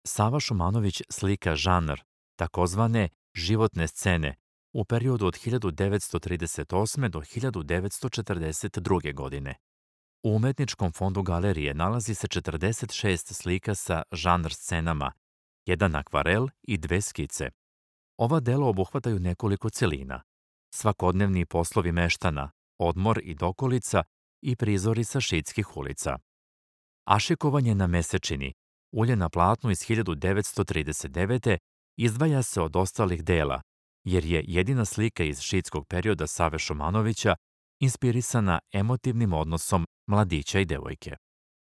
Sava Šumanović slika žanr, takozvane životne scene, u periodu od 1938. do 1942. godine. U umetničkom fondu galerije nalazi se 46 slika sa žanr scenama, jedan akvarel i dve skice. Ova dela obuhvataju nekoliko celina. Svakodnevni poslovi meštana, odmor i dokolica i prizori sa šidskih ulica. Ašikovanje na mesečini, ulje na platnu iz 1939. izdvaja se od ostalih dela, jer je jedina slika iz šidskog perioda Save Šumanovića inspirisana emotivnim odnosom mladića i devojke.